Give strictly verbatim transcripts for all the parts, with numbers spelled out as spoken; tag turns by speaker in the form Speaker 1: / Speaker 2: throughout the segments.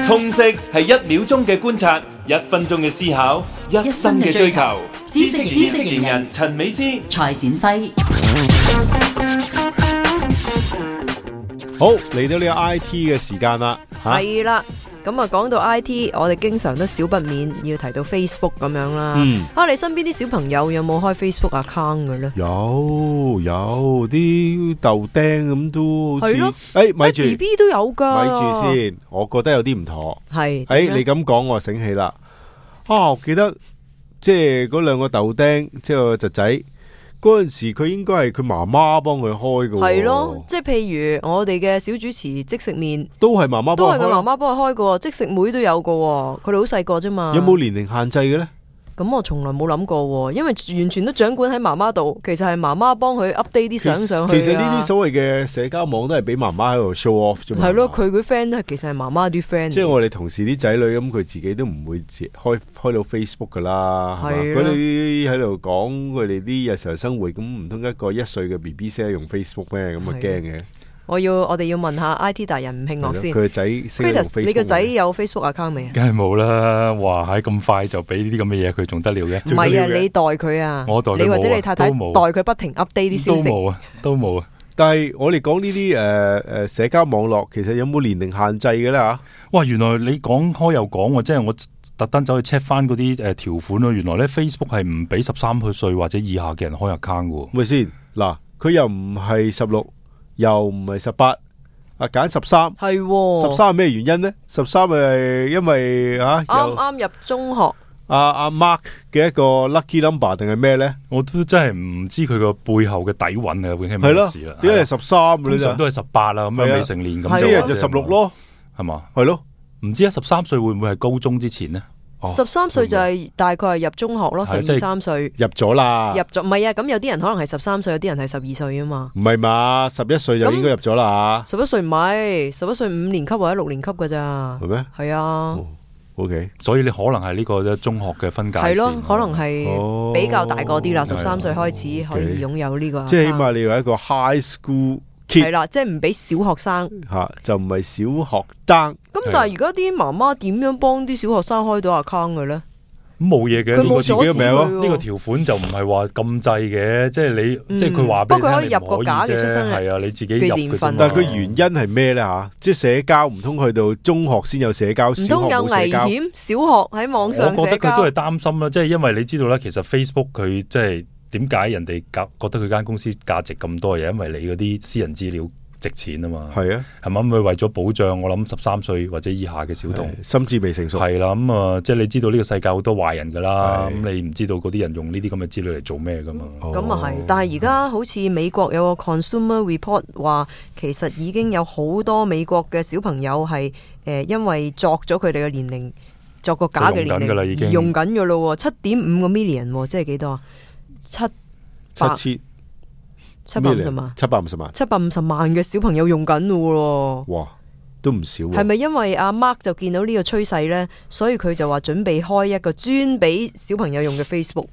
Speaker 1: 通識係一秒鐘嘅觀察，一分鐘嘅思考，一生嘅追求。知識知識型人陳美詩、
Speaker 2: 蔡展輝。
Speaker 3: 好，嚟到呢個 I T 嘅時間啦，
Speaker 4: 係啦。咁啊，講到 I T， 我哋經常都少不免要提到 Facebook 咁樣啦。嗯，啊，你身邊啲小朋友有冇開 Facebook account 嘅咧？
Speaker 3: 有有啲豆釘咁都好似，誒，咪住
Speaker 4: B B 都有噶，
Speaker 3: 咪住先，我覺得有啲唔妥。
Speaker 4: 係，
Speaker 3: 誒，你咁講我醒起啦。啊，我記得即係嗰兩個豆釘，即係個侄仔。嗰陣時佢應該係佢媽媽幫佢開嘅。
Speaker 4: 係咯，即係譬如我哋嘅小主持即食麵
Speaker 3: 都係媽媽
Speaker 4: 都係佢媽媽幫佢開嘅，即食妹都有嘅，佢哋好細個啫嘛。
Speaker 3: 有冇年齡限制嘅咧？咁
Speaker 4: 我從來冇諗過，因為完全都掌管喺媽媽度，其實係媽媽幫佢 update 啲相上去。
Speaker 3: 其實呢啲所謂嘅社交網都係俾媽媽喺度 show off 啫嘛。
Speaker 4: 係咯，佢嗰 friend 都係其實係媽媽啲 friend。
Speaker 3: 即係我哋同事啲仔女咁，佢自己都唔會開開到 Facebook 噶啦。係嘛，佢哋喺度講佢哋啲日常生活，咁唔通一個一歲嘅 B B 識用 Facebook 咩？咁啊驚嘅。我
Speaker 4: 要我哋要問下 I T 大人吳慶樂先。
Speaker 3: 佢個仔識用 Facebook。
Speaker 4: 你個仔有 Facebook account 未啊？
Speaker 5: 梗係冇啦！哇，喺咁快就俾呢啲咁嘅嘢，佢仲得了嘅？
Speaker 4: 唔係啊，你代佢啊，
Speaker 5: 我代佢，
Speaker 4: 你或者你太太代佢不停 update 啲消息。
Speaker 5: 都冇啊，都冇啊。
Speaker 3: 但係我哋講呢啲誒誒社交網絡，其實有冇年齡限制嘅咧吓？
Speaker 5: 哇，原來你講開又講喎，即係我特登走去 check 翻嗰啲誒條款咯。原來咧 Facebook 係唔俾十三歲或者以下嘅人開 account 嘅。
Speaker 3: 咪先嗱，佢又唔係十六，又唔係十八。啊，揀十三係十三係咩原因呢？十三係因為啊
Speaker 4: 啱啱入中學。
Speaker 3: 阿阿 Mark 嘅一個 lucky number 定係咩呢？
Speaker 5: 我都真係唔知佢個背後嘅底蘊啊，究竟係咩事啦？
Speaker 3: 點解係十三？
Speaker 5: 通常都係十八啦，咁樣未成年咁
Speaker 3: 就一日就十六咯，
Speaker 5: 係嘛？
Speaker 3: 係咯，
Speaker 5: 唔知啊，十三歲會唔會係高中之前呢？
Speaker 4: 十三歲就係大概係入中學咯，十二三歲
Speaker 3: 入咗啦，
Speaker 4: 入咗唔係啊？咁有啲人可能係十三歲，有啲人係十二歲啊嘛。
Speaker 3: 唔係嘛？十一歲就應該入咗啦。
Speaker 4: 十一歲唔係，十一歲五年級或者六年級噶咋？
Speaker 3: 係咩？
Speaker 4: 係啊。
Speaker 3: O K，
Speaker 5: 所以你可能係呢個中學嘅分界線。
Speaker 4: 係咯，可能係比較大個啲啦，十三歲開始可以擁有呢個。
Speaker 3: 即係起碼你要一個 high school kid。
Speaker 4: 係啦，即係唔俾小學生
Speaker 3: 吓，就唔係小學生。
Speaker 4: 咁但係而家啲媽媽點樣幫啲小學生開到 account 嘅咧？
Speaker 5: 冇嘢嘅，
Speaker 4: 佢冇
Speaker 5: 自己嘅名咯。呢個條款就唔係話咁滯嘅，即係你，嗯、即係佢話俾你聽，
Speaker 4: 不過可以入個假嘅出生日，
Speaker 5: 係啊，你自己入嘅啫。
Speaker 3: 但係佢原因係咩咧吓？即係社交唔通去到中學先有社交，唔
Speaker 4: 通有危險？小學喺網上社交，
Speaker 5: 我覺得佢都係擔心啦，即係因為你知道咧，其實 Facebook 佢即係點解人哋覺得佢間公司價值咁多嘢，因為你嗰啲私人資料值錢啊嘛，
Speaker 3: 係啊，
Speaker 5: 係咪咁？佢為咗保障，我諗十三歲或者以下嘅小童，
Speaker 3: 心智未成熟，
Speaker 5: 係啦，咁啊，即係你知道呢個世界好多壞人噶啦，咁你唔知道嗰啲人用呢啲咁嘅資料嚟做咩噶嘛？
Speaker 4: 咁啊係，但係而家好似美國有個 Consumer Report 話，其實已經有好多美國嘅小朋友係誒，因為作咗佢哋嘅年齡，作個假嘅年齡而用緊噶咯，七點五個 million， 即係幾多啊？七
Speaker 3: 七千。
Speaker 4: 七百五十萬，
Speaker 3: 七百五十萬，
Speaker 4: 七百五十萬嘅小朋友用緊咯喎，
Speaker 3: 哇，都唔少。
Speaker 4: 係咪因為阿 Mark 就見到呢個趨勢呢？所以佢就話準備開一個專俾小朋友用嘅 Facebook。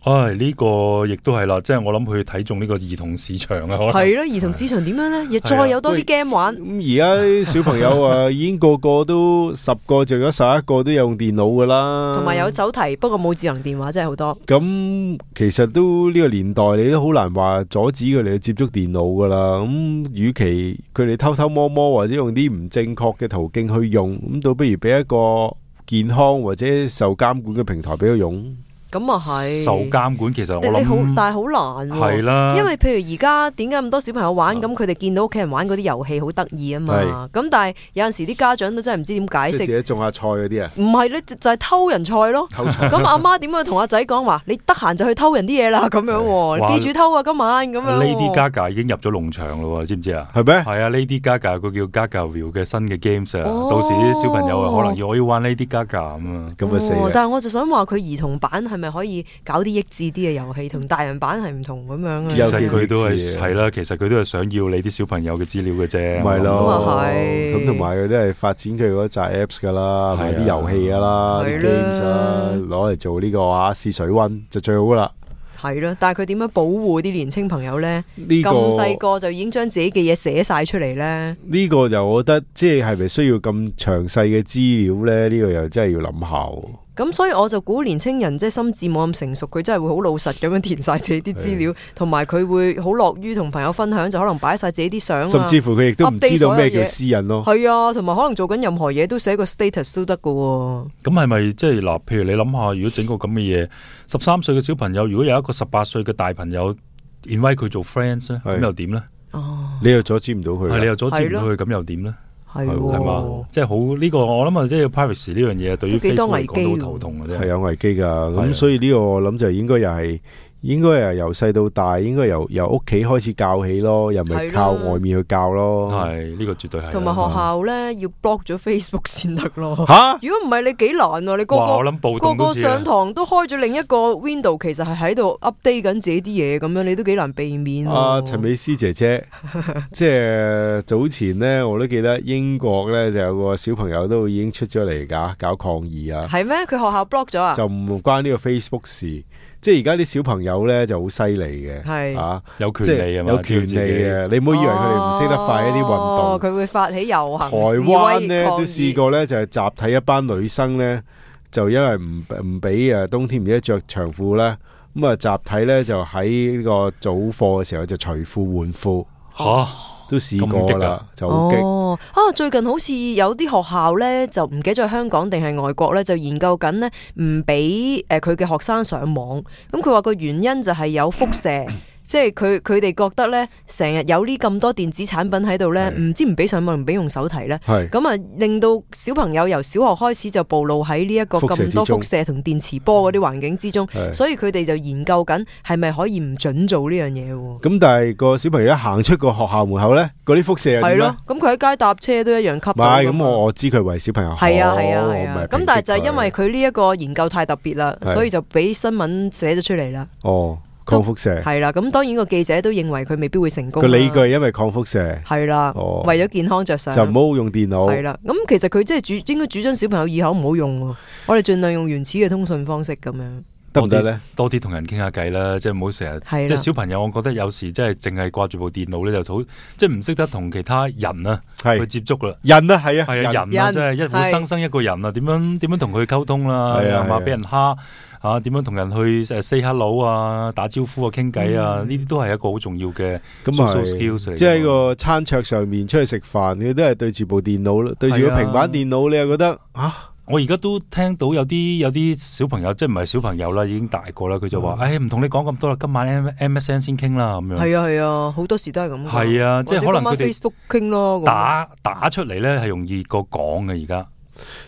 Speaker 5: 唉，呢個亦都係啦，即係我諗佢睇中呢個兒童市場啊，可能
Speaker 4: 係咯，兒童市場點樣呢？亦再有多啲 game 玩。
Speaker 3: 咁而家啲小朋友啊，已經個個都十個就有十一個都有用電腦噶啦，
Speaker 4: 同埋有手提，不過冇智能電話，真係好多。
Speaker 3: 咁其實都呢個年代，你都好難話阻止佢哋去接觸電腦噶啦。咁與其佢哋偷偷摸摸或者用啲唔正確嘅途徑去用，咁倒不如俾一個健康或者受監管嘅平台俾佢用。
Speaker 4: 咁啊係
Speaker 5: 受監管，其實我諗
Speaker 4: 你好，但係好難
Speaker 5: 係啦。
Speaker 4: 因為譬如而家點解咁多小朋友玩，咁佢哋見到屋企人玩嗰啲遊戲好得意啊嘛。咁但係有陣時啲家長都真係唔知點解釋。即係
Speaker 3: 自己種下菜嗰啲啊？
Speaker 4: 唔係咧，就係偷人菜咯。咁阿媽點樣同阿仔講話？你得閒就去偷人啲嘢啦，咁樣。記住偷啊，今晚咁樣。
Speaker 5: Lady Gaga 已經入咗農場咯，知唔知啊？
Speaker 3: 係咩？
Speaker 5: 係啊 ，Lady Gaga 個叫 Gagaville 嘅新嘅 games 啊，到時啲小朋友啊，可能要我要玩 Lady Gaga 咁啊，
Speaker 3: 咁啊死啦！
Speaker 4: 但係我就想話佢兒童版係咪可以搞啲益智啲嘅遊戲，同大人版係唔同咁樣啊？
Speaker 5: 其實佢都係係啦，其實佢都係想要你啲小朋友嘅資料嘅啫。
Speaker 3: 咪咯，
Speaker 4: 咁啊係。
Speaker 3: 咁同埋佢都係發展佢嗰扎 apps 噶啦，同埋啲遊戲噶啦，啲 games 啊，攞嚟做呢個啊試水溫就最好噶啦。
Speaker 4: 係咯，但係佢點樣保護啲年青朋友咧？
Speaker 3: 呢個
Speaker 4: 咁細個就已經將自己嘅嘢寫晒出嚟咧？
Speaker 3: 呢個就我覺得即係係咪需要咁詳細嘅資料咧？呢個又真係要諗下喎。
Speaker 4: 咁所以我就估年青人即係心智冇咁成熟，佢真係會好老實咁樣填晒自己啲資料，同埋佢會好樂於同朋友分享，就可能擺晒自己啲相啊，
Speaker 3: 甚至乎佢亦都唔知道咩叫私隱咯。
Speaker 4: 係啊，同埋可能做緊任何嘢都寫個 status 都得噶。咁
Speaker 5: 係咪即係嗱？譬如你諗下，如果整個咁嘅嘢，十三歲嘅小朋友，如果有一個十八歲嘅大朋友 invite 佢做 friends 咧，咁又點咧？
Speaker 4: 哦，
Speaker 3: 你又阻止唔到佢，
Speaker 5: 係你又阻止唔到佢，咁又點咧？
Speaker 4: 係
Speaker 5: 係嘛，即係好呢個我諗啊，即係 privacy 呢樣嘢對於 Facebook 嚟講都好頭痛嘅啫，
Speaker 3: 係有危機噶。咁所以呢個我諗就應該又係應該係由細到大，應該由由屋企開始教起咯，又唔係靠外面去教咯。
Speaker 5: 係呢個絕對係。
Speaker 4: 同埋學校咧要 block 咗 Facebook 先得咯。
Speaker 3: 吓，
Speaker 4: 如果唔係你幾難啊？你個個個個上堂都開咗另一個 window，其實係喺度 update 緊自己啲嘢，咁樣你都幾難避免。
Speaker 3: 啊，陳美詩姐姐，即係早前咧，我都記得英國咧就有個小朋友都已經出咗嚟搞搞抗議啊。
Speaker 4: 係咩？佢學校 block 咗啊？
Speaker 3: 就唔關呢個 Facebook 事。即係而家啲小朋友咧就好犀利嘅，
Speaker 4: 係
Speaker 3: 啊，
Speaker 5: 有權利啊嘛，
Speaker 3: 有權利嘅。你唔好以為佢哋唔識得快一啲運動，
Speaker 4: 佢會發起遊行。
Speaker 3: 台灣咧都試過咧，就係集體一班女生咧，就因為唔唔俾誒冬天唔記得着長褲咧，咁啊集體咧就喺呢個早課嘅時候就除褲換褲。
Speaker 5: 吓！
Speaker 3: 都試過啦，就好激。
Speaker 4: 哦，啊，最近好似有啲學校咧，就唔記得咗香港定係外國咧，就研究緊呢，唔俾誒佢嘅學生上網。咁佢話個原因就係有輻射。即係佢佢哋覺得咧，成日有呢咁多電子產品喺度咧，唔知唔俾上網唔俾用手提咧，咁啊令到小朋友由小學開始就暴露喺呢一個咁多輻射同電磁波嗰啲環境之中，所以佢哋就研究緊係咪可以唔準做呢樣嘢。
Speaker 3: 咁但係個小朋友一行出個學校門口咧，嗰啲輻射係點咧？
Speaker 4: 咁佢喺街搭車都一樣吸到。
Speaker 3: 唔係，咁我我知佢為小朋友好。
Speaker 4: 係啊係啊係啊。咁但係就係因為佢呢一個研究太特別啦，所以就俾新聞寫咗出嚟啦。
Speaker 3: 哦。抗輻射
Speaker 4: 係啦，咁當然個記者都認為佢未必會成功。
Speaker 3: 個理據係因為抗輻射
Speaker 4: 係啦，哦、為咗健康着想，
Speaker 3: 就唔好用電腦。
Speaker 4: 係啦，咁其實佢即係主應該主張小朋友以後唔好用，我哋盡量用原始嘅通訊方式咁樣。
Speaker 3: 得唔得咧？
Speaker 5: 多啲同人傾下偈啦，即係唔好成日。即係小朋友，我覺得有時即係淨係掛住部電腦咧，就好即係唔識得同其他人啊去接觸啦。
Speaker 3: 人啊，係啊，
Speaker 5: 係啊，人啊，即係一活生生一個人啊，點樣點樣同佢溝通啦？係嘛，俾人蝦啊，點樣同人去誒 say hello 啊，打招呼啊，傾偈啊，呢啲都係一個好重要嘅 social skills 嚟。
Speaker 3: 即係喺個餐桌上面出去食飯，你都係對住部電腦，對住個平板電腦，你又覺得啊？
Speaker 5: 我而家都聽到有啲有啲小朋友，即係唔係小朋友啦，已經大個啦，佢就話：，誒唔同你講咁多啦，今晚 M S N 先傾啦，咁樣。係
Speaker 4: 啊係啊，好多時都係咁。
Speaker 5: 係啊，即係可能佢哋
Speaker 4: Facebook 傾咯，
Speaker 5: 打打出嚟咧係容易過講嘅而家。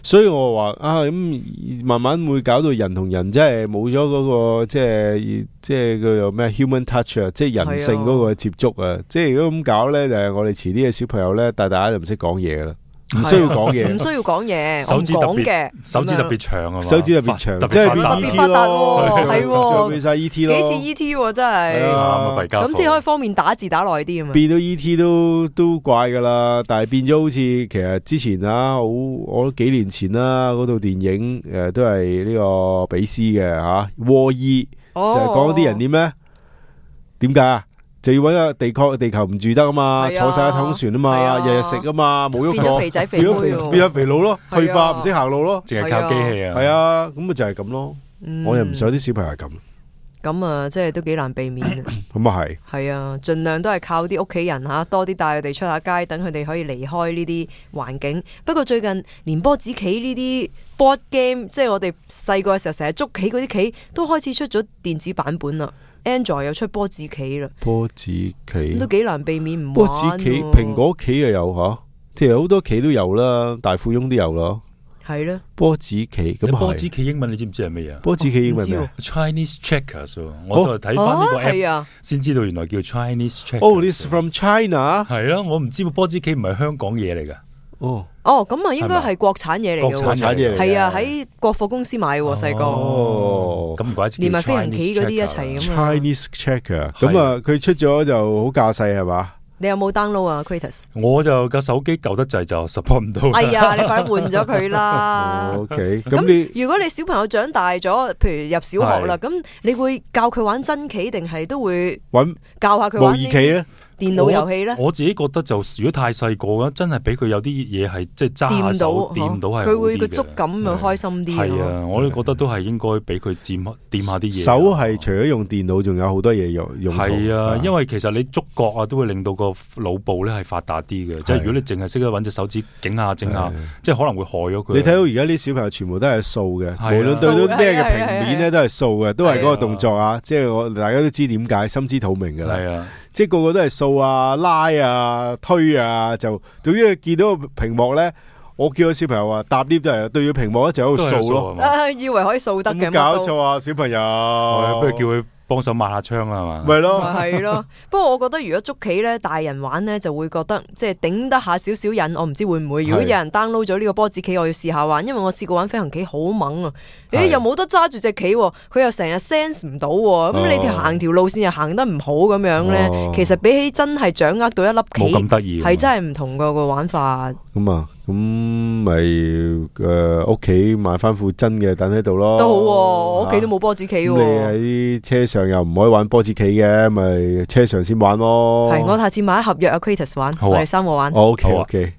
Speaker 3: 所以我話啊，咁慢慢會搞到人同人即係冇咗嗰個即係即係叫做咩 human touch 啊，即係人性嗰個接觸啊。即係如果咁搞咧，就係我哋遲啲嘅小朋友咧，大大家就唔識講嘢啦。唔需要講嘢，
Speaker 4: 唔需要講嘢，
Speaker 5: 手指特
Speaker 4: 別，
Speaker 5: 手指特別長啊，
Speaker 3: 手指特別長，
Speaker 4: 即係特別發達喎，係
Speaker 3: 喎，變晒 E T 咯，
Speaker 4: 幾似 E T 喎，真係，咁先可以方便打字打耐啲啊嘛。
Speaker 3: 變到 E T 都都怪噶啦，但係變咗好似其實之前啊，好我幾年前啦，嗰套電影誒都係呢個比斯嘅吓，War E 就係講啲人點咧？點解啊？就要搵個地殼地球唔住得啊嘛，坐晒一桶船啊嘛，日日食啊嘛，冇喐過，
Speaker 4: 變咗肥仔肥妹，
Speaker 3: 變咗肥佬咯，退化唔識行路咯，
Speaker 5: 淨係靠機器啊，
Speaker 3: 係啊，咁咪就係咁咯。我又唔想啲小朋友係咁，
Speaker 4: 咁啊，即係都幾難避免啊。
Speaker 3: 咁啊係，
Speaker 4: 係啊，盡量都係靠啲屋企人吓，多啲帶佢哋出下街，等佢哋可以離開呢啲環境。不過最近連波子棋呢啲 board game，即係我哋細個嘅時候成日捉棋嗰啲棋，都開始出咗電子版本啦。Android 又出波子棋啦，
Speaker 3: 波子棋
Speaker 4: 都幾難避免唔玩。
Speaker 3: 波子棋，蘋果棋又有吓，其實好多棋都有啦，大富翁都有咯。
Speaker 4: 係啦，
Speaker 3: 波子棋咁
Speaker 5: 波子棋英文你知唔知係咩啊？
Speaker 3: 波子棋英文咩
Speaker 5: ？Chinese checkers，我就睇翻呢個 app 先知道原來叫 Chinese checkers。
Speaker 3: 哦 ，this from China。
Speaker 5: 係啦，我唔知波子棋唔係香港嘢嚟噶。
Speaker 3: 哦，
Speaker 4: 哦，咁啊，應該係國產嘢嚟嘅，
Speaker 3: 國產嘢嚟，
Speaker 4: 係啊，喺國貨公司買嘅細個。
Speaker 5: 哦，咁唔怪之，
Speaker 4: 連埋飛行棋嗰啲一齊咁
Speaker 3: Chinese checker，咁啊，佢出咗就好架勢係嘛？
Speaker 4: 你有冇 download 啊 Kratos？
Speaker 5: 我就個手機舊得滯就 support 唔到。
Speaker 4: 哎呀，你快啲換咗佢啦。
Speaker 3: O K， 咁你
Speaker 4: 如果你小朋友長大咗，譬如入小學啦，咁你會教佢玩真棋，定係都會揾教下佢玩模擬棋咧？電腦遊戲咧，
Speaker 5: 我自己覺得就如果太細個咧，真係俾佢有啲嘢係即係揸下手掂到係好啲嘅，
Speaker 4: 佢會個觸感咪開心啲。
Speaker 5: 係啊，我都覺得都係應該俾佢掂掂下啲嘢。
Speaker 3: 手係除咗用電腦，仲有好多嘢用用途。
Speaker 5: 係啊，因為其實你觸覺啊，都會令到個腦部咧係發達啲嘅。即係如果你淨係識得揾隻手指整下整下，即係可能會害咗佢。你
Speaker 3: 睇到而家啲小朋友全部都係掃嘅，無論對到咩嘅平面咧都係掃嘅，都係嗰個動作啊！即係我大家都知點解，心知肚明㗎啦。係啊。即係個個都係掃啊、拉啊、推啊，就總之見到個屏幕咧，我叫個小朋友話搭 lift 都係對住屏幕一直喺度掃咯，
Speaker 4: 啊，以為可以掃得嘅，
Speaker 3: 冇搞錯啊，小朋友，
Speaker 5: 不如叫佢幫手抹下窗啦，係嘛？
Speaker 3: 咪咯，
Speaker 4: 係咯。不過我覺得如果捉棋咧，大人玩咧就會覺得即係頂得下少少癮。我唔知會唔會。如果有人 download 咗呢個波子棋，我要試下玩，因為我試過玩飛行棋好猛啊！誒，又冇得揸住隻棋，佢又成日 sense 唔到，咁你條行條路線又行得唔好咁樣咧，其實比起真係掌握到一粒棋，
Speaker 5: 冇咁得意，
Speaker 4: 係真係唔同個個玩法。
Speaker 3: 咁啊，咁咪誒屋企買翻副真嘅等喺度咯。
Speaker 4: 都好，我屋企都冇波子棋。
Speaker 3: 你喺車上又唔可以玩波子棋嘅，咪車上先玩咯。
Speaker 4: 係，我下次買一盒約阿 Kratos 玩，我哋三個玩。
Speaker 3: OK OK。